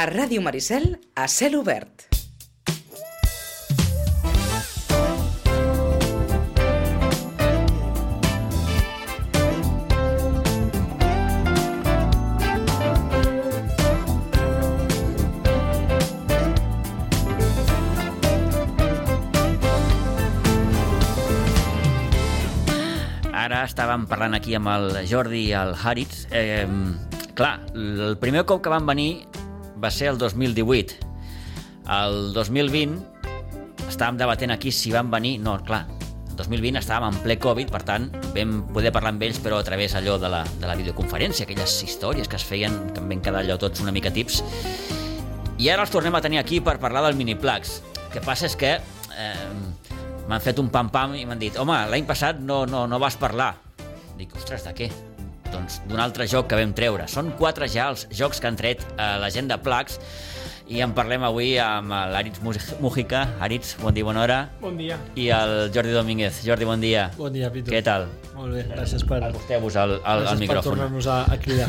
A Ràdio Maricel, a cel obert. Ara estàvem parlant aquí amb el Jordi i el Haritz. Clar, el primer cop que van venir va ser el 2018. El 2020 estàvem debatent aquí si van venir... No, clar, el 2020 estàvem en ple Covid, per tant, vam poder parlar amb ells, però a través allò de la videoconferència, aquelles històries que es feien, que em van quedar allò tots una mica tips. I ara els tornem a tenir aquí per parlar del Miniplex. El que passa és que... m'han fet un pam-pam i m'han dit home, l'any passat no vas parlar. Dic, ostres, de què? Doncs d'un altre joc que vam treure. Són 4 ja els jocs que han tret a l'agenda Plex i en parlem avui amb l'Aritz Mújica. Aritz, bon dia, bona hora. Bon dia. I el Jordi Domínguez. Jordi, bon dia. Bon dia, Pitu. Què tal? Molt bé, gràcies per... Acosteu-vos al micròfon. Gràcies per tornar-nos a cridar.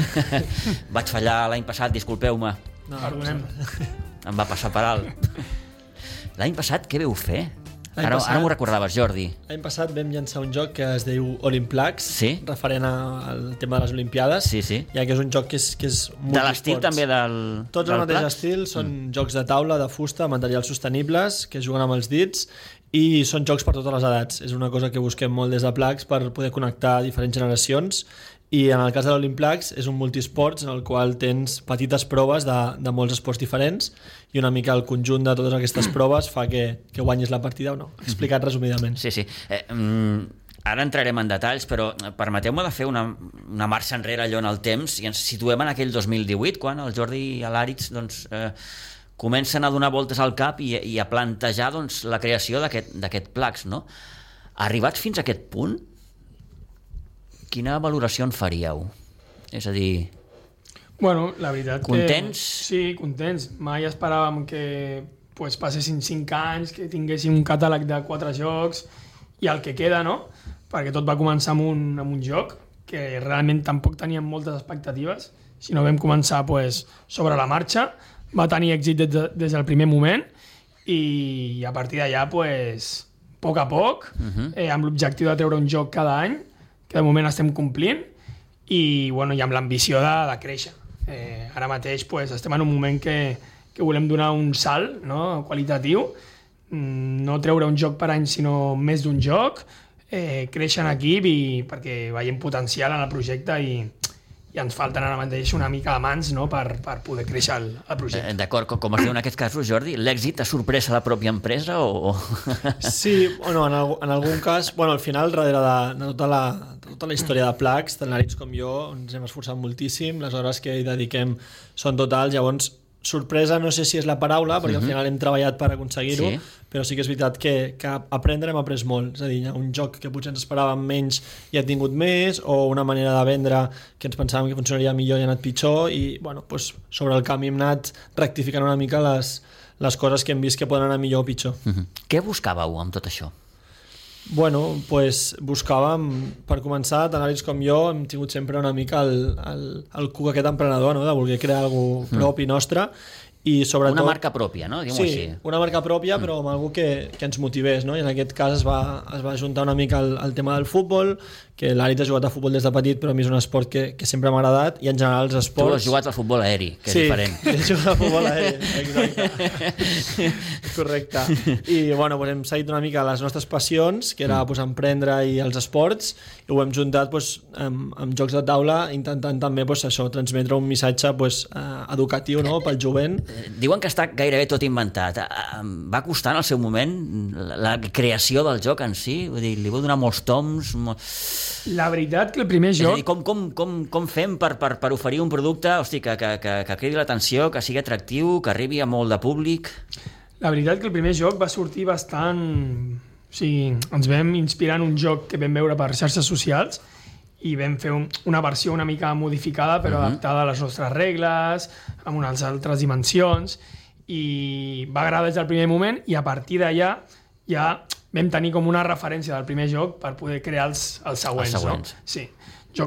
Vaig fallar l'any passat, disculpeu-me. No, perdonem. Em va passar per alt. L'any passat què veu fer? Ara m'ho recordaves, Jordi. L'any passat vam llançar un joc que es diu Olimplex, sí? Referent al tema de les Olimpiades, sí. Ja que és un joc que és de l'estil també del Tots el mateix estil, són jocs de taula, de fusta, materials sostenibles, que juguen amb els dits, i són jocs per totes les edats. És una cosa que busquem molt des de Plex per poder connectar diferents generacions. I en el cas de l'Olimplex és un multisports en el qual tens petites proves de molts esports diferents i una mica el conjunt de totes aquestes proves fa que guanyis la partida o no. Explicat resumidament. Sí. Ara entrarem en detalls, però permeteu-me de fer una marxa enrere allò en el temps i ens situem en aquell 2018, quan el Jordi i l'Aritz comencen a donar voltes al cap i a plantejar la creació d'aquest Plex, no? Arribats fins a aquest punt, quina valoració en faríeu? És a dir... Bueno, la veritat contents? Sí, contents. Mai esperàvem que passessin 5 anys, que tinguéssim un catàleg de 4 jocs i el que queda, no? Perquè tot va començar amb un joc que realment tampoc teníem moltes expectatives, sinó vam començar sobre la marxa, va tenir èxit des del primer moment i a partir d'allà, a poc a poc, amb l'objectiu de treure un joc cada any, que de moment estem complint i amb l'ambició de créixer. Ara mateix estem en un moment que volem donar un salt, no? Qualitatiu, no treure un joc per any sinó més d'un joc, créixer en equip perquè veiem potencial en el projecte i ens falten ara mateix una mica de mans, no? per poder créixer el projecte. D'acord, com es diu en aquests casos, Jordi? L'èxit ha sorprès a la pròpia empresa o...? Sí, en algun cas, al final, darrere de tota la història de Plex, tant l'Aritz com jo, ens hem esforçat moltíssim, les hores que hi dediquem són totals, llavors sorpresa no sé si és la paraula, perquè al final hem treballat per aconseguir-ho, però sí que és veritat que aprendre hem après molt. És a dir, un joc que potser ens esperàvem menys i ha tingut més, o una manera de vendre que ens pensàvem que funcionaria millor i ha anat pitjor, i sobre el camí hem anat rectificant una mica les coses que hem vist que poden anar millor o pitjor. Què buscàveu amb tot això? Buscàvem, per començar, tant l'Aritz com jo hem tingut sempre una mica el cuc aquest emprenedor, no? De voler crear alguna cosa propi nostre i sobretot... Una marca pròpia, no? Diguem-ho així. Sí, una marca pròpia, però amb algú que ens motivés, no? I en aquest cas es va juntar una mica el tema del futbol, que l'Aritz ha jugat a futbol des de petit, però a mi és un esport que sempre m'ha agradat, i en general els esports... Tu has jugat al futbol aeri, que és diferent. Sí, he jugat al futbol aeri, exacte. Correcte. I hem seguit una mica les nostres passions, que era emprendre i els esports, i ho hem juntat amb jocs de taula, intentant també transmetre un missatge educatiu, no? Pel jovent. Diuen que està gairebé tot inventat. Va costar en el seu moment la creació del joc en si? Vull dir, li vau donar molts toms? La veritat que el primer joc... És a dir, com fem per oferir un producte que cridi l'atenció, que sigui atractiu, que arribi a molt de públic? La veritat que el primer joc va sortir bastant... O sigui, ens vam inspirar en un joc que vam veure per xarxes socials i vam fer una versió una mica modificada però adaptada a les nostres regles, amb unes altres dimensions, i va agradar des del primer moment i a partir d'allà ja vam tenir com una referència del primer joc per poder crear els següents. No? Sí.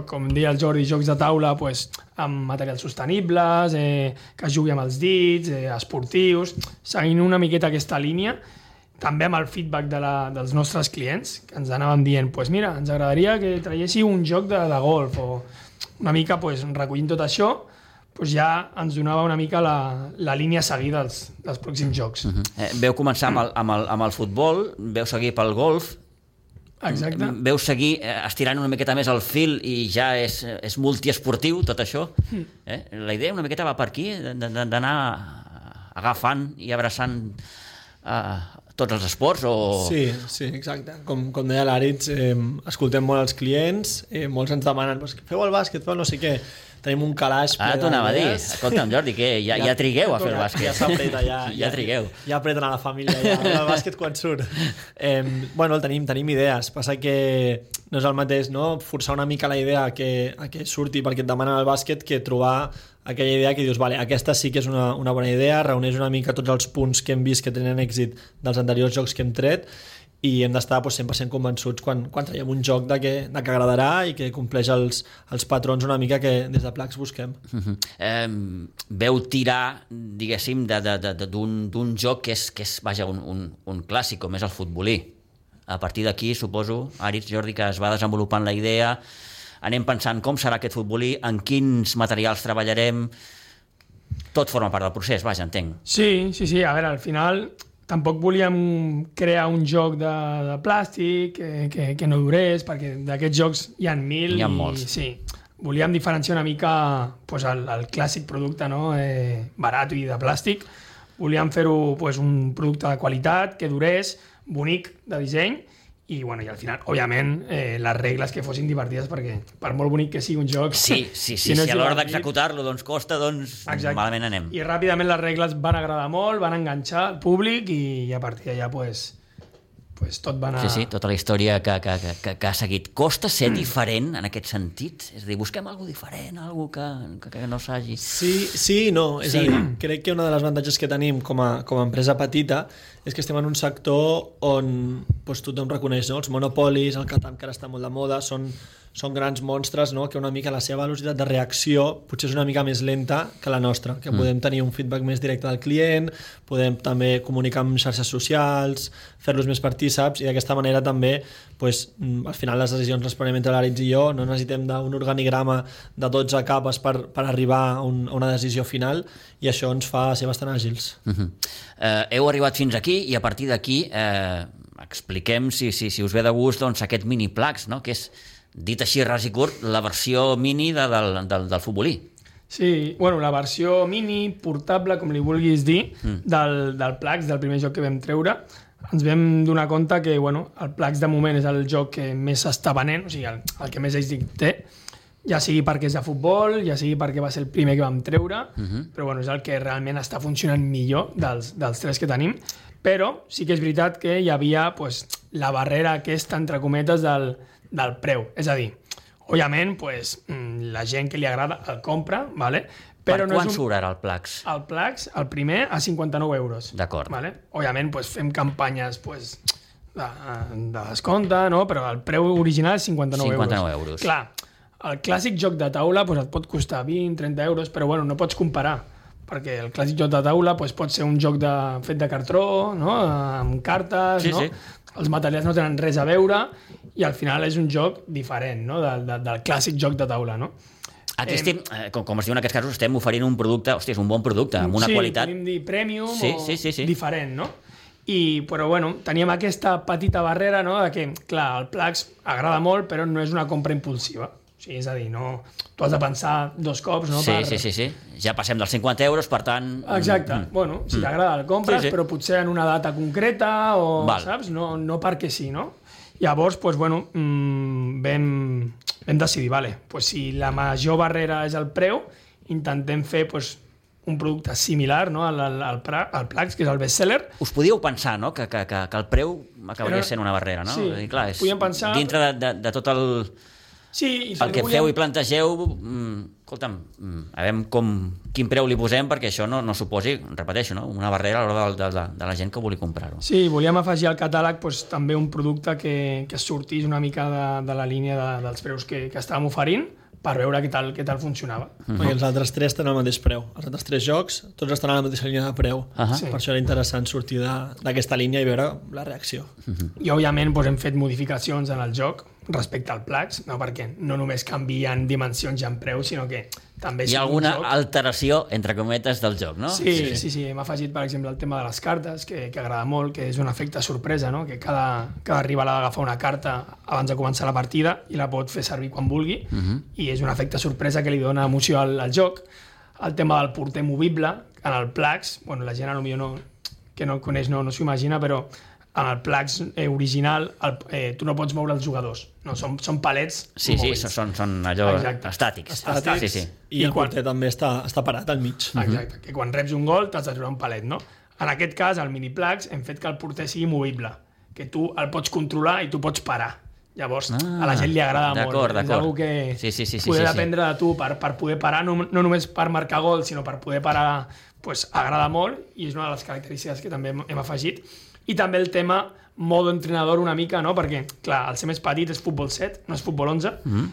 com deia el Jordi, jocs de taula pues, amb materials sostenibles, que es jugui amb els dits, esportius, seguint una miqueta aquesta línia, també amb el feedback dels nostres clients, que ens anàvem dient, pues mira, ens agradaria que traiéssiu un joc de golf, o una mica pues, recollint tot això, pues ja ens donava una mica la línia a seguir dels pròxims jocs. Veu començar amb el futbol, veu seguir pel golf, exacte. Veu seguir estirant una miqueta més el fil i ja és multiesportiu tot això. La idea una miqueta va per aquí, d'anar agafant i abraçant tots els esports? Sí, exacte. Com deia l'Àritz, escoltem molt els clients, molts ens demanen feu el bàsquet, feu no sé què. Tenim un calaix ple t'ho anava a dir. Escolta'm, Jordi, que ja trigueu a fer el bàsquet. Ja s'apreta, ja trigueu. Ja apreten a la família, el bàsquet quan surt. Bueno, tenim idees. Passa que no és el mateix, no? Forçar una mica la idea a que surti perquè et demanen el bàsquet que trobar aquella idea que dius, vale, aquesta sí que és una bona idea, reuneix una mica tots els punts que hem vist que tenen èxit dels anteriors jocs que hem tret i hem d'estar 100% convençuts quan traiem un joc de que agradarà i que compleix els patrons una mica que des de Plax busquem. Veu tirar, diguéssim, d'un joc que és vaja, un clàssic, com és el futbolí. A partir d'aquí, suposo, Àritz, Jordi, que es va desenvolupant la idea, anem pensant com serà aquest futbolí, en quins materials treballarem, tot forma part del procés, vaja, entenc. Sí, a veure, al final tampoc volíem crear un joc de plàstic que no durés, perquè d'aquests jocs hi ha 1.000. Hi ha molts. Sí, volíem diferenciar una mica pues, el clàssic producte barat i de plàstic. Volíem fer-ho pues, un producte de qualitat, que durés, bonic de disseny, i al final, òbviament, les regles que fossin divertides, perquè per molt bonic que sigui un joc... Sí, si a l'hora d'executar-lo costa, malament anem. I ràpidament les regles van agradar molt, van enganxar el públic i a partir d'allà tot va anar... Sí, tota la història que ha seguit. Costa ser diferent en aquest sentit? És a dir, busquem alguna diferent, alguna que no s'hagi... Sí i no. És a dir, crec que una de les avantatges que tenim com a empresa petita és que estem en un sector on tothom reconeix, no? Els monopolis, el Catan, que ara està molt de moda, són grans monstres, no? Que una mica la seva velocitat de reacció potser és una mica més lenta que la nostra, que podem tenir un feedback més directe del client, podem també comunicar amb xarxes socials, fer-los més partíceps, i d'aquesta manera també al final les decisions les prenem entre l'Àritz i jo, no necessitem d'un organigrama de 12 capes per arribar a una decisió final, i això ens fa ser bastant àgils. Heu arribat fins aquí i a partir d'aquí expliquem, si us ve de gust, aquest mini Plax, no? Que és, dit així ras i curt, la versió mini del futbolí. Sí, la versió mini, portable, com li vulguis dir, del Plax, del primer joc que vam treure. Ens vam donar compte que el Plax de moment és el joc que més s'està venent, o sigui, el que més èxit té, ja sigui perquè és de futbol, ja sigui perquè va ser el primer que vam treure, però és el que realment està funcionant millor dels tres que tenim. Però sí que és veritat que hi havia la barrera aquesta, entre cometes, del preu. És a dir, òbviament, la gent que li agrada el compra, ¿vale? Però per quan surt ara el Plax? El Plax, el primer, a 59 euros. D'acord. ¿Vale? Òbviament, fem campanyes de descompte, no? Però el preu original és 59 euros. Clar, el clàssic joc de taula et pot costar 20-30 euros, però no pots comparar, perquè el clàssic joc de taula pot ser un joc fet de cartró, no? Amb cartes, no? Els materials no tenen res a veure i al final és un joc diferent, no? del clàssic joc de taula, no? Aquí estem, com es diu en aquests casos, estem oferint un producte, és un bon producte, amb una qualitat... Sí, podem dir premium o diferent, no? Però teníem aquesta petita barrera, no? De que, clar, el Plax agrada molt, però no és una compra impulsiva. O sigui, és a dir, no... Tu has de pensar 2 cops, no? Sí. Ja passem dels 50 euros, per tant... Exacte. Si t'agrada el compres, però potser en una data concreta o, saps? No perquè sí, no? Llavors, vam decidir, si la major barrera és el preu, intentem fer un producte similar, no? al Plax, que és el bestseller. Us podíeu pensar, no? que el preu acabaria sent una barrera, no? Sí, clar, podíem pensar... Dintre de tot el... Sí, el que feu i plantegeu, escolta'm, a veure quin preu li posem perquè això no suposi, repeteixo, no? Una barrera a l'hora de la gent que vulgui comprar-ho. Sí, volíem afegir al catàleg també un producte que sortís una mica de la línia dels preus que estàvem oferint, per veure què tal funcionava. I els altres 3 tenen el mateix preu. Els altres 3 jocs, tots estan a la mateixa línia de preu. Sí. Per això era interessant sortir d'aquesta línia i veure la reacció. I, òbviament, hem fet modificacions en el joc respecte al Plax, no? Perquè no només canvien dimensions i en preu, sinó que també... Hi ha alguna alteració, entre cometes, del joc, no? Sí. Hem afegit, per exemple, el tema de les cartes, que agrada molt, que és un efecte sorpresa, no? Que cada rival ha d'agafar una carta abans de començar la partida i la pot fer servir quan vulgui, i és un efecte sorpresa que li dona emoció al joc. El tema del porter movible, en el Plax, la gent que no el coneix no s'ho imagina, però en el Plax original tu no pots moure els jugadors, no, són palets mòbils. Sí, són allò estàtics. Sí. I el porter també està parat al mig. Exacte, que quan reps un gol t'has de treure un palet, no? En aquest cas, al mini Plax, hem fet que el porter sigui movible, que tu el pots controlar i tu pots parar. Llavors, a la gent li agrada molt. És una cosa que poder aprendre de tu per poder parar, no només per marcar gol, sinó per poder parar, agrada molt, i és una de les característiques que també hem afegit. I també el tema modo entrenador una mica, no? Perquè, clar, el ser més petit és futbol 7, no és futbol 11,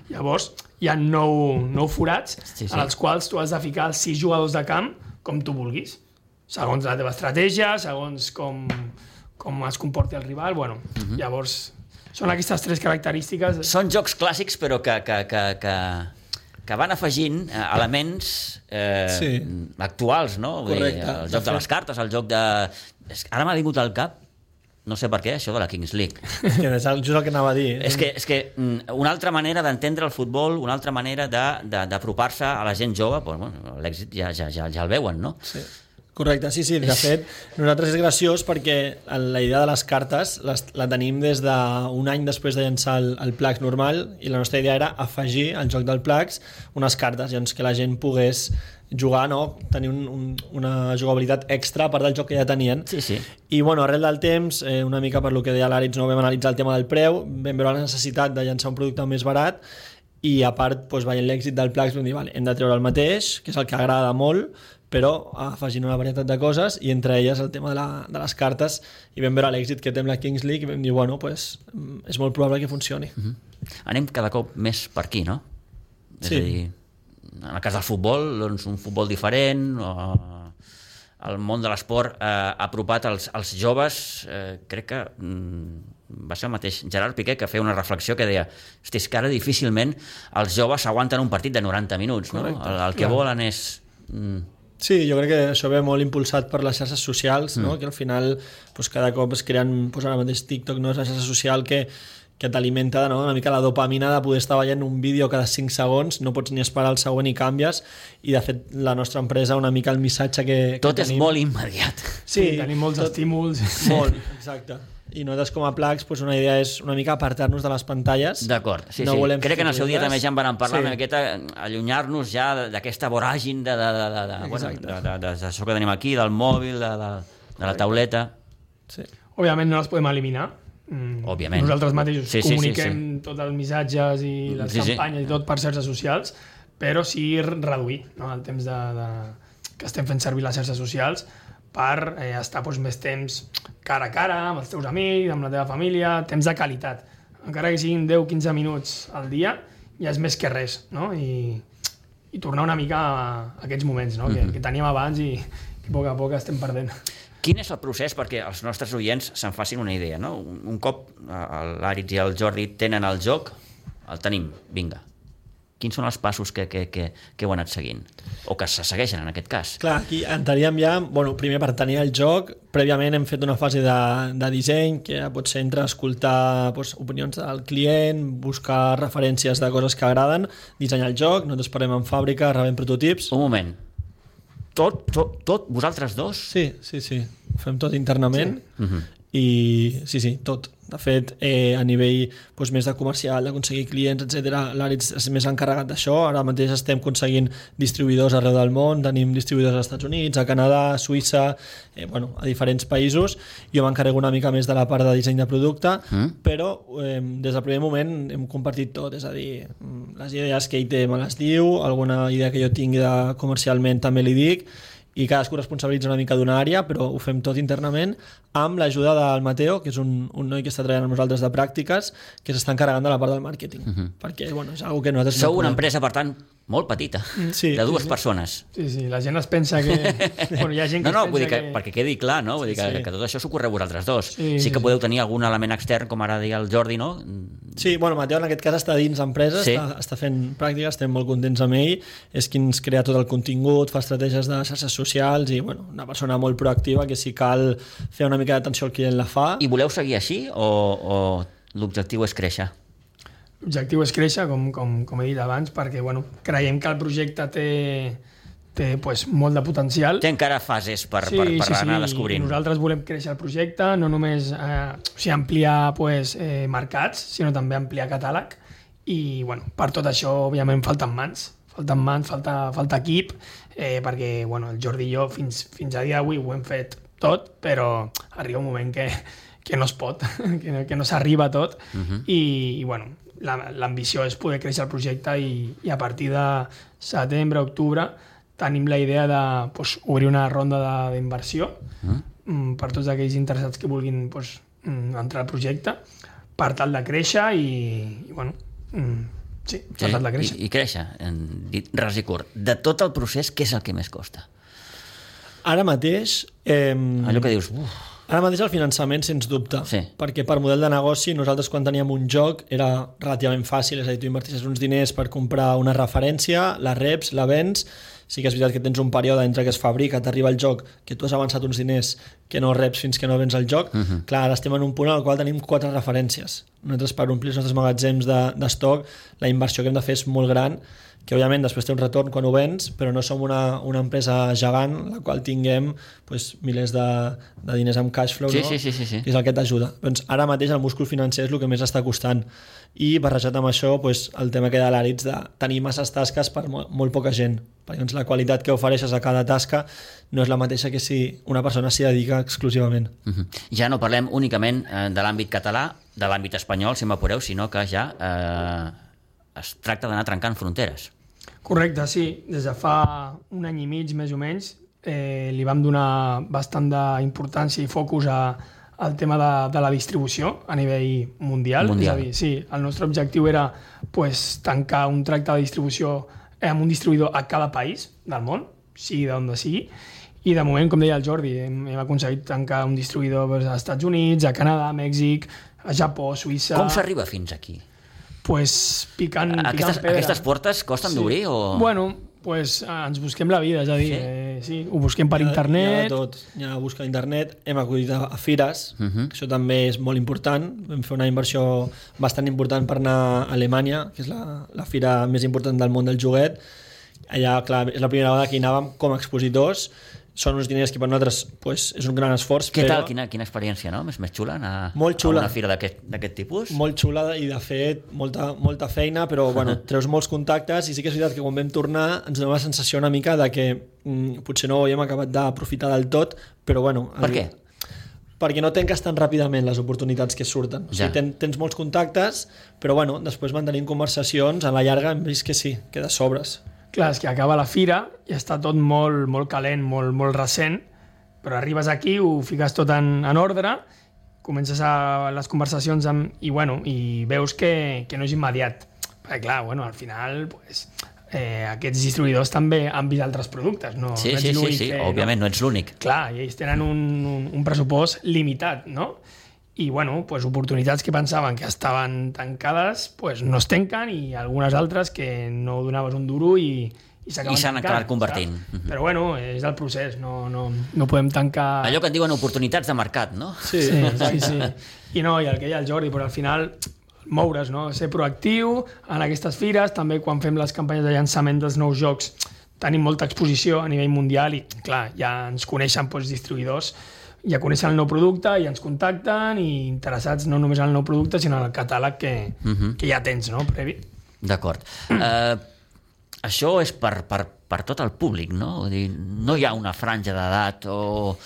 llavors hi ha 9 forats en els quals tu has de ficar els 6 jugadors de camp com tu vulguis, segons la teva estratègia, segons com es comporti el rival, llavors són aquestes 3 característiques. Són jocs clàssics, però que van afegint elements actuals, no? Correcte. El joc de les cartes, el joc de... Ara m'ha vingut al cap, no sé per què, això de la Kings League. És just el que anava a dir. És que una altra manera d'entendre el futbol, una altra manera d'apropar-se a la gent jove, l'èxit ja el veuen, no? Sí. Correcte, sí. De fet, nosaltres és graciós perquè la idea de les cartes la tenim des d'un any després de llançar el Plax normal, i la nostra idea era afegir al joc del Plax unes cartes, doncs que la gent pogués jugar, no? Tenir una jugabilitat extra a part del joc que ja tenien. Sí. I arrel del temps, una mica per lo que deia l'Àritz, vam analitzar el tema del preu, vam veure la necessitat de llançar un producte més barat, i a part, veient l'èxit del Plax, vam dir, hem de treure el mateix, que és el que agrada molt, però afegint una varietat de coses, i entre elles el tema de les cartes, i vam veure l'èxit que té amb la Kings League, i vam dir, és molt probable que funcioni. Anem cada cop més per aquí, no? És a dir, en el cas del futbol, doncs un futbol diferent, el món de l'esport ha apropat als joves, crec que va ser el mateix Gerard Piqué que feia una reflexió que deia, hosti, és que ara difícilment els joves aguanten un partit de 90 minuts, no? El que volen és... Sí, jo crec que això ve molt impulsat per les xarxes socials, no? Que al final cada cop es creen, ara mateix TikTok, no? És la xarxa social que t'alimenta, no? Una mica la dopamina de poder estar veient un vídeo cada 5 segons, no pots ni esperar el següent i canvies, i de fet la nostra empresa, una mica el missatge que tot tenim... és molt immediat. Sí, tenim molts estímuls. Molt, exacte. I nosaltres com a Plax, una idea és una mica apartar-nos de les pantalles. D'acord, sí. Crec que en el seu dia també ja en van parlar, una miqueta allunyar-nos ja d'aquesta voràgin d'això que tenim aquí, del mòbil, de la tauleta. Sí. Òbviament no les podem eliminar. Òbviament. Nosaltres mateixos comuniquem tots els missatges i les campanyes i tot per xarxes socials, però sí reduir, no? El temps que estem fent servir les xarxes socials per estar més temps cara a cara, amb els teus amics, amb la teva família, temps de qualitat. Encara que siguin 10-15 minuts al dia, ja és més que res, no? I tornar una mica a aquests moments, no? Que teníem abans i que a poc a poc estem perdent. Quin és el procés perquè els nostres oients se'n facin una idea, no? Un cop l'Àritz i el Jordi tenen el joc, el tenim, vinga. Quins són els passos que heu anat seguint? O que se segueixen, en aquest cas? Clar, aquí entraríem ja, primer per tenir el joc, prèviament hem fet una fase de disseny, que pot ser entre escoltar opinions del client, buscar referències de coses que agraden, dissenyar el joc, nosaltres parlem en fàbrica, rebem prototips... Un moment. Tot vosaltres dos? Sí. Ho fem tot internament. I sí, tot. De fet, a nivell més de comercial, d'aconseguir clients, etc., l'Àritz és més encarregat d'això. Ara mateix estem aconseguint distribuïdors arreu del món, tenim distribuïdors als Estats Units, a Canadà, a Suïssa, a diferents països. Jo m'encarrego una mica més de la part de disseny de producte, però des del primer moment hem compartit tot, és a dir, les idees que ell té me les diu, alguna idea que jo tingui comercialment també li dic, i cadascú responsabilitza una mica d'una àrea, però ho fem tot internament amb l'ajuda del Mateo, que és un noi que està treballant amb nosaltres de pràctiques, que s'està encarregant de la part del màrqueting, perquè és algo que nosaltres... Sou una empresa, per tant, molt petita, de dues persones. Sí, la gent es pensa que... Hi ha gent que vull dir que perquè quedi clar, no? Vull dir que tot això s'ho correu vosaltres dos. Sí que podeu tenir algun element extern, com ara deia el Jordi, no? Sí, Mateo en aquest cas està dins l'empresa, està fent pràctiques, estem molt contents amb ell, és qui ens crea tot el contingut, fa estratègies de xarxes socials i una persona molt proactiva que si cal fer una mica d'atenció al client la fa. I voleu seguir així o l'objectiu és créixer? L'objectiu és créixer, com he dit abans, perquè creiem que el projecte té molt de potencial. Té encara fases per anar descobrint. Nosaltres volem créixer el projecte, no només ampliar mercats, sinó també ampliar catàleg. I per tot això, òbviament, falten mans, falta equip, perquè el Jordi i jo fins a dia d'avui ho hem fet tot, però arriba un moment que no es pot, que no s'arriba a tot, i l'ambició és poder créixer el projecte i a partir de setembre, octubre, tenim la idea d'obrir una ronda d'inversió per tots aquells interessats que vulguin entrar al projecte per tal de créixer per tal de créixer. I créixer, dit ras i curt. De tot el procés, què és el que més costa? Ara mateix... Allò que dius... Ara mateix el finançament, sens dubte, perquè per model de negoci nosaltres quan teníem un joc era relativament fàcil, és a dir, tu invertissis uns diners per comprar una referència, la reps, la vens, sí que és veritat que tens un període entre que es fabrica, t'arriba el joc, que tu has avançat uns diners que no reps fins que no vens el joc, clar, ara estem en un punt en el qual tenim 4 referències. Nosaltres per omplir els nostres magatzems d'estoc, la inversió que hem de fer és molt gran, que òbviament després té un retorn quan ho vens, però no som una empresa gegant la qual tinguem milers de diners amb cash flow, no? Sí. Que és el que t'ajuda. Doncs ara mateix el múscul financer és el que més està costant, i barrejat amb això el tema que de l'Àritz de tenir masses tasques per molt poca gent, perquè la qualitat que ofereixes a cada tasca no és la mateixa que si una persona s'hi dedica exclusivament. Ja no parlem únicament de l'àmbit català, de l'àmbit espanyol, si m'apureu, sinó que ja es tracta d'anar trencant fronteres. Correcte, sí. Des de fa un any i mig, més o menys, li vam donar bastant d'importància i focus al tema de la distribució a nivell mundial. És a dir, sí, el nostre objectiu era tancar un tracte de distribució amb un distribuïdor a cada país del món, sigui d'on sigui, i de moment, com deia el Jordi, hem aconseguit tancar un distribuïdor als Estats Units, a Canadà, a Mèxic, a Japó, Suïssa... Com s'arriba fins aquí? Picant pedra. Aquestes portes costen d'obrir? Ens busquem la vida, és a dir, ho busquem per internet. Hi ha de tot, hi ha a buscar a internet, hem acudit a fires, això també és molt important, vam fer una inversió bastant important per anar a Alemanya, que és la fira més important del món del joguet. Allà, clar, és la primera vegada que hi anàvem com a expositors, són uns diners que per nosaltres és un gran esforç. Què tal? Quina experiència, no? Més xula anar a una fira d'aquest tipus? Molt xula i de fet molta feina, però treus molts contactes i sí que és veritat que quan vam tornar ens donava la sensació una mica de que potser no ho havíem acabat d'aprofitar del tot, però Per què? Perquè no tanques tan ràpidament les oportunitats que surten. O sigui, tens molts contactes, però després mantenint conversacions, a la llarga hem vist que sí, que de sobres. Clar, és que acaba la fira i està tot molt, molt calent, molt recent, però arribes aquí, ho fiques tot en ordre, comences les conversacions i veus que no és immediat. Perquè clar, al final aquests distribuïdors també han vist altres productes. No, sí, òbviament, no ets l'únic. Clar, i ells tenen un pressupost limitat, no? I oportunitats que pensaven que estaven tancades no es tanquen, i algunes altres que no donaves un duro i s'han acabat convertint. Però és el procés, no podem tancar... Allò que en diuen oportunitats de mercat, no? Sí. I el que deia el Jordi, però al final moure's, no? Ser proactiu en aquestes fires, també quan fem les campanyes de llançament dels nous jocs tenim molta exposició a nivell mundial i clar, ja ens coneixen distribuïdors ja coneixen el nou producte i ens contacten i interessats no només en el nou producte sinó en el catàleg que ja tens, no? Previ. D'acord. Això és per tot el públic, no? Vull dir, no hi ha una franja d'edat o...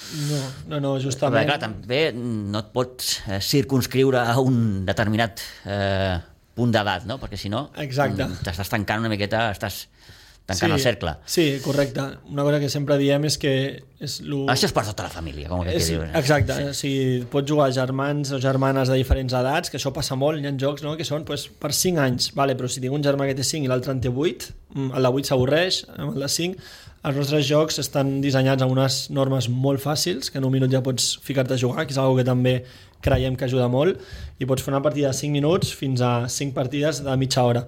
No, justament. Perquè, clar, també no et pots circunscriure a un determinat punt d'edat, no? Perquè si no t'estàs tancant una miqueta, estàs tancant el cercle. Sí, correcte. Una cosa que sempre diem és que... Això és per tota la família, com que diuen. Exacte. O sigui, pots jugar germans o germanes de diferents edats, que això passa molt, hi ha jocs que són per 5 anys, però si tinc un germà que té 5 i l'altre en té 8, el de 8 s'avorreix, amb el de 5. Els nostres jocs estan dissenyats amb unes normes molt fàcils, que en un minut ja pots ficar-te a jugar, que és una cosa que també creiem que ajuda molt, i pots fer una partida de 5 minuts fins a 5 partides de mitja hora,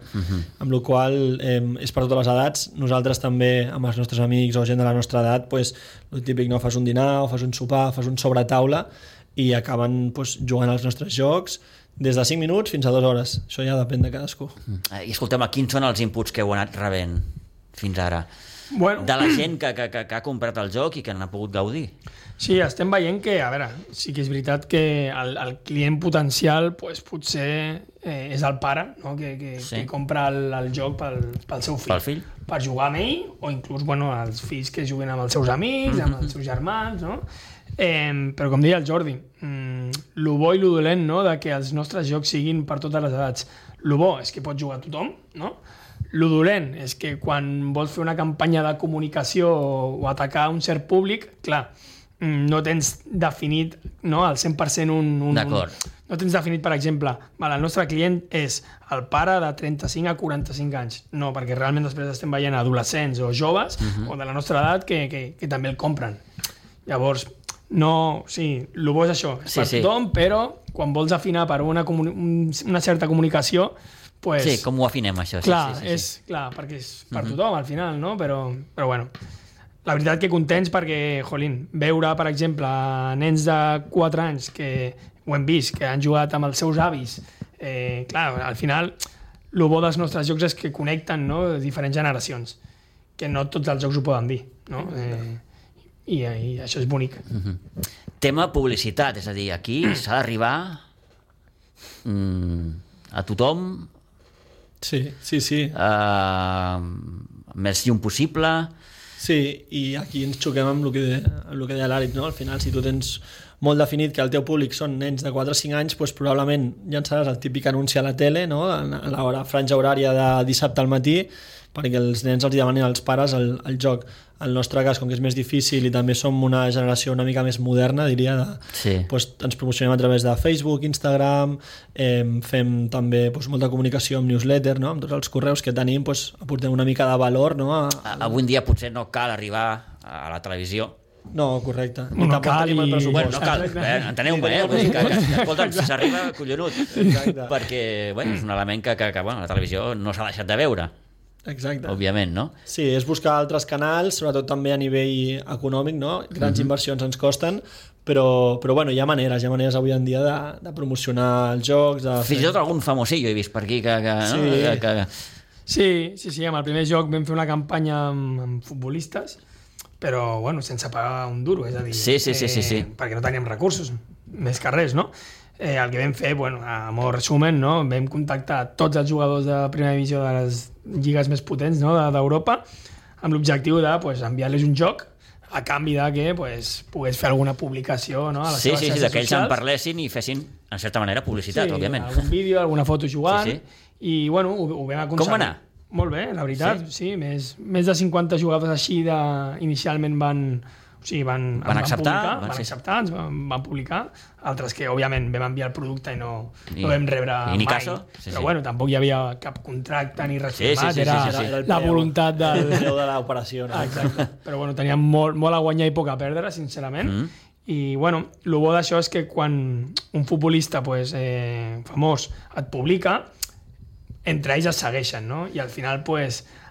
amb la qual és per totes les edats. Nosaltres també, amb els nostres amics o gent de la nostra edat, el típic, no? Fas un dinar, o fas un sopar, fas un sobretaula i acaben jugant als nostres jocs des de 5 minuts fins a 2 hores. Això ja depèn de cadascú. I escolteu, quins són els inputs que heu anat rebent fins ara? Bueno, de la gent que ha comprat el joc i que n'ha pogut gaudir. Sí, estem veient que, a veure, sí que és veritat que el client potencial potser és el pare, no? que compra el joc pel seu fill. Pel fill. Per jugar amb ell, o inclús els fills que juguen amb els seus amics, amb els seus germans, no? Però com deia el Jordi, lo bo i lo dolent, no? De que els nostres jocs siguin per totes les edats. Lo bo és que pot jugar tothom, no? Lo dolent és que quan vols fer una campanya de comunicació o atacar un cert públic, clar, no tens definit, no, al 100% D'acord. No tens definit, per exemple, el nostre client és el pare de 35 a 45 anys. No, perquè realment després estem veient adolescents o joves o de la nostra edat que també el compren. Llavors, no, sí, el bo és això, és per tothom, però quan vols afinar per una certa comunicació, pues, sí, com ho afinem, això? Clar, clar, perquè és per tothom, al final, no? Però bueno, la veritat que contents perquè, veure, per exemple, nens de 4 anys que ho hem vist, que han jugat amb els seus avis, clar, al final, el bo dels nostres jocs és que connecten, no?, diferents generacions, que no tots els jocs ho poden dir, no? I això és bonic. Tema publicitat, és a dir, aquí s'ha d'arribar a tothom, més llum possible. Sí, i aquí ens xoquem amb el que deia l'Àlex, no? Al final, si tu tens molt definit que el teu públic són nens de 4 o 5 anys, doncs probablement llançaràs el típic anunci a la tele, no? A la franja horària de dissabte al matí, perquè els nens els demanen als pares el joc. En el nostre cas, com que és més difícil i també som una generació una mica més moderna, diria, ens promocionem a través de Facebook, Instagram, fem també molta comunicació amb newsletter, no? Amb tots els correus que tenim, aportem una mica de valor. No? Avui en dia potser no cal arribar a la televisió. No, correcte. No cal el pressupost. Bueno, no cal, enteneu-me, escolta'm, si s'arriba, collonut. Perquè és un element que la televisió no s'ha deixat de veure. Exacte. Òbviament, no? Sí, és buscar altres canals, sobretot també a nivell econòmic, no? Grans inversions ens costen, però bueno, hi ha maneres avui en dia de promocionar els jocs. Fins i tot algun famosillo he vist per aquí Sí, amb el primer joc vam fer una campanya amb futbolistes, però bueno, sense pagar un duro, és a dir, sí. perquè no teníem recursos, més que res, no? El que vam fer, a molt resumen, no? Vam contactar tots els jugadors de primera divisió de les lligues més potents, no? d'Europa, amb l'objectiu de enviar-los un joc a canvi de que pogués fer alguna publicació, no? A les seves xarxes que ells en parlessin i fessin, en certa manera, publicitat, òbviament. Algun vídeo, alguna foto jugant, i ho vam aconseguir. Com va anar? Molt bé, la veritat, sí. Més de 50 jugadors així inicialment van acceptar, ens van publicar, altres que òbviament vam enviar el producte i no vam rebre mai, però bueno, tampoc hi havia cap contracte ni res firmat, era la voluntat del preu de l'operació, no? Exacte, però bueno, teníem molt a guanyar i poc a perdre, sincerament. I bueno, el bo d'això és que quan un futbolista famós et publica, entre ells es segueixen, no? I al final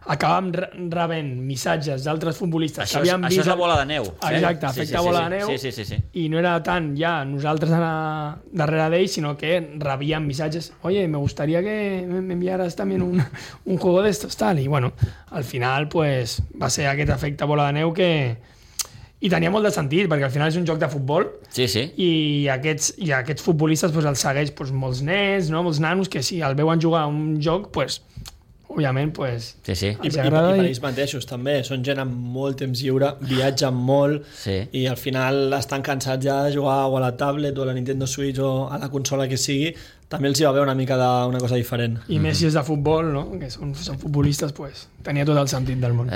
acabàvem rebent missatges d'altres futbolistes que havien vist... Això és la bola de neu. Exacte, efecte bola de neu. Sí. I no era tant ja nosaltres anar darrere d'ells, sinó que rebíem missatges. Oye, me gustaría que me enviaras también un juego de estos, tal. I bueno, al final va ser aquest efecte bola de neu que I tenia molt de sentit, perquè al final és un joc de futbol Sí. i aquests futbolistes pues, els segueix pues, molts nens, no? Molts nanos, que si el veuen jugar a un joc, pues, òbviament, pues, Sí. I per ells mateixos també, són gent amb molt temps lliure, viatgen molt i al final estan cansats ja de jugar o a la tablet o a la Nintendo Switch o a la consola que sigui, també els hi va haver una mica d'una cosa diferent. I més si és de futbol, no? Que són futbolistes, pues, tenia tot el sentit del món.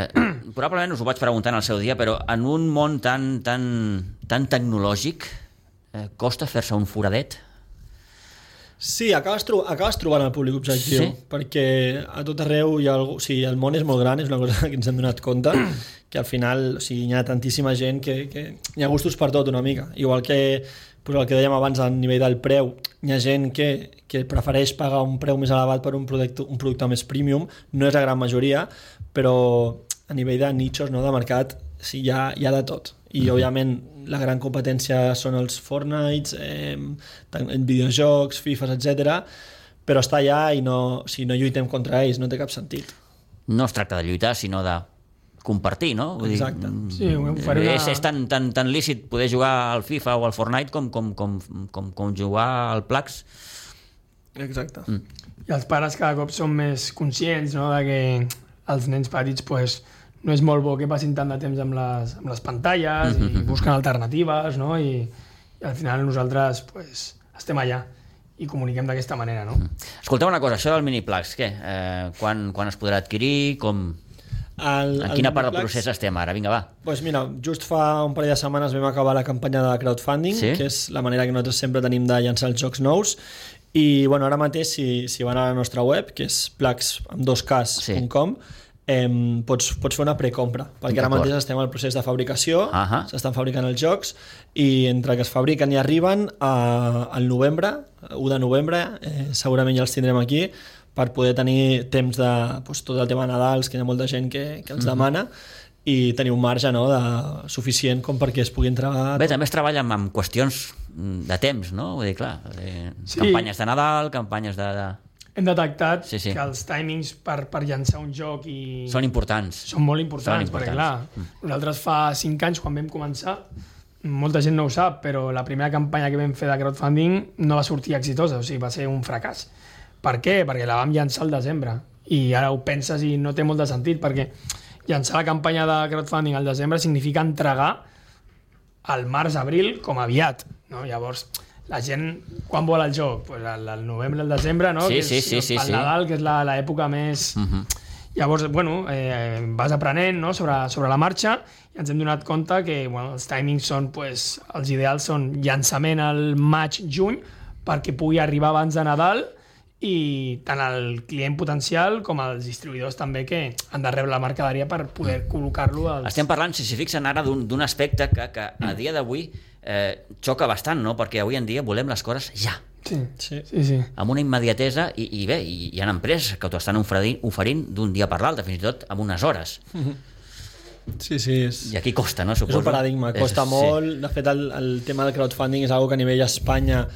Probablement us ho vaig preguntar en el seu dia, però en un món tan tecnològic costa fer-se un foradet? Sí, acabes trobant el públic objectiu, perquè a tot arreu hi ha algú... O sigui, el món és molt gran, és una cosa que ens hem donat compte, que al final hi ha tantíssima gent que hi ha gustos per tot una mica. Igual que el que dèiem abans a nivell del preu, hi ha gent que prefereix pagar un preu més elevat per un producte més premium, no és la gran majoria, però a nivell de nichos, no, de mercat, sí, hi ha de tot. I òbviament la gran competència són els Fortnite, videojocs, FIFAs, etc. Però està allà i si no lluitem contra ells no té cap sentit. No es tracta de lluitar, sinó de compartir, no? Exacte. Sí, és tan lícit poder jugar al FIFA o al Fortnite com jugar al Plax. Exacte. I els pares cada cop són més conscients, no?, de que els nens petits pues, no és molt bo que passin tant de temps amb les pantalles i busquen alternatives, no? I al final nosaltres pues, estem allà i comuniquem d'aquesta manera, no? Escolteu una cosa, això del Miniplax, què? Quan es podrà adquirir? En quina part del procés estem ara? Vinga, va. Pues mira, just fa un parell de setmanes vam acabar la campanya de crowdfunding, que és la manera que nosaltres sempre tenim de llançar els jocs nous, i bueno, ara mateix si van a la nostra web, que és plax.com, pots fer una precompra, perquè ara mateix estem al procés de fabricació, s'estan fabricant els jocs i entre que es fabriquen i arriben al novembre, 1 de novembre, segurament ja els tindrem aquí per poder tenir temps de tot el tema de Nadals, que hi ha molta gent que els demana, i tenir un marge, no, suficient com perquè es pugui entregar... Bé, també es treballa amb qüestions de temps, no? Vull dir, clar, campanyes de Nadal, campanyes de... Hem detectat que els timings per llançar un joc són importants. Són molt importants, perquè clar, nosaltres fa 5 anys, quan vam començar, molta gent no ho sap, però la primera campanya que vam fer de crowdfunding no va sortir exitosa, o sigui, va ser un fracàs. Per què? Perquè la vam llançar al desembre. I ara ho penses i no té molt de sentit, perquè llançar la campanya de crowdfunding al desembre significa entregar al març-abril com aviat, no? Llavors, la gent, quan vol el joc? Pues al novembre, al desembre, no? El Nadal, que és l'època més... Llavors, bueno, vas aprenent, no? sobre la marxa, i ens hem donat compte que els timings són, pues, els ideals són llançament al maig-juny perquè pugui arribar abans de Nadal, i tant el client potencial com els distribuïdors també que han de rebre la mercaderia per poder col·locar-lo als... Estem parlant, si s'hi fixen ara, d'un aspecte que a dia d'avui xoca bastant, no? Perquè avui en dia volem les coses ja. Sí. Amb una immediatesa i bé, hi ha empreses que t'ho estan oferint d'un dia per l'altre, fins i tot amb unes hores. Sí. I aquí costa, no? Suposo. És un paradigma, costa molt. De fet, el tema del crowdfunding és una que a nivell Espanya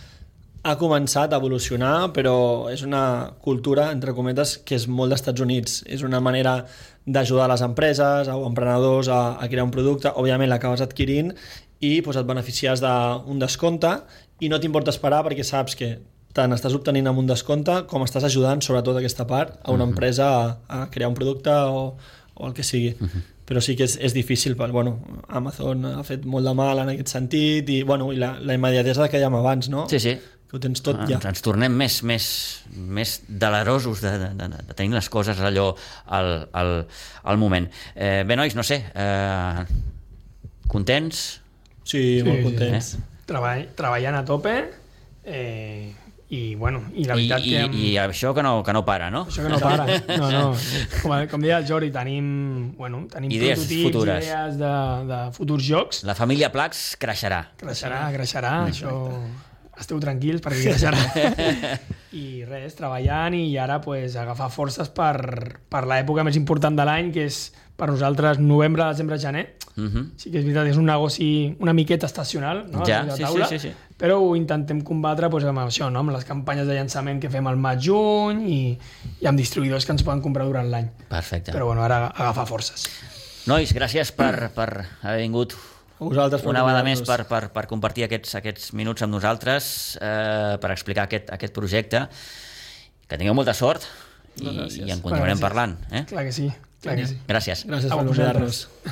ha començat a evolucionar, però és una cultura, entre cometes, que és molt d'Estats Units. És una manera d'ajudar les empreses o emprenedors a crear un producte. Òbviament l'acabes adquirint i et beneficies d'un descompte i no t'importa esperar perquè saps que tant estàs obtenint amb un descompte com estàs ajudant, sobretot aquesta part, a una empresa a crear un producte o el que sigui. Però sí que és difícil, Amazon ha fet molt de mal en aquest sentit i la immediatesa que dèiem abans, no? Sí. Que ho tens tot ja. Ens tornem més delerosos de tenir les coses allò al moment. Bé, nois, no sé, contents? Sí, molt contents. Treballant a tope i la veritat que... I això que no para, no? Això que no para, no. Com deia el Jordi, tenim idees prototips, futures. Idees de futurs jocs. La família Plax creixerà. Creixerà, això... Esteu tranquils perquè creixerà. I res, treballant i ara agafar forces per l'època més important de l'any, que és per nosaltres novembre, desembre, gener. Sí que és veritat, és un negoci una miqueta estacional, no? Ja, sí. Però ho intentem combatre amb això, no? Amb les campanyes de llançament que fem al maig-juny i amb distribuïdors que ens poden comprar durant l'any. Perfecte. Però ara agafar forces. Nois, gràcies per haver vingut A vosaltres per una vegada més convidar-nos. per compartir aquests minuts amb nosaltres, per explicar aquest projecte. Que tingueu molta sort i en continuarem parlant. Clar que sí. Clar que sí. Gràcies. Gràcies A per vosaltres. convidar-nos.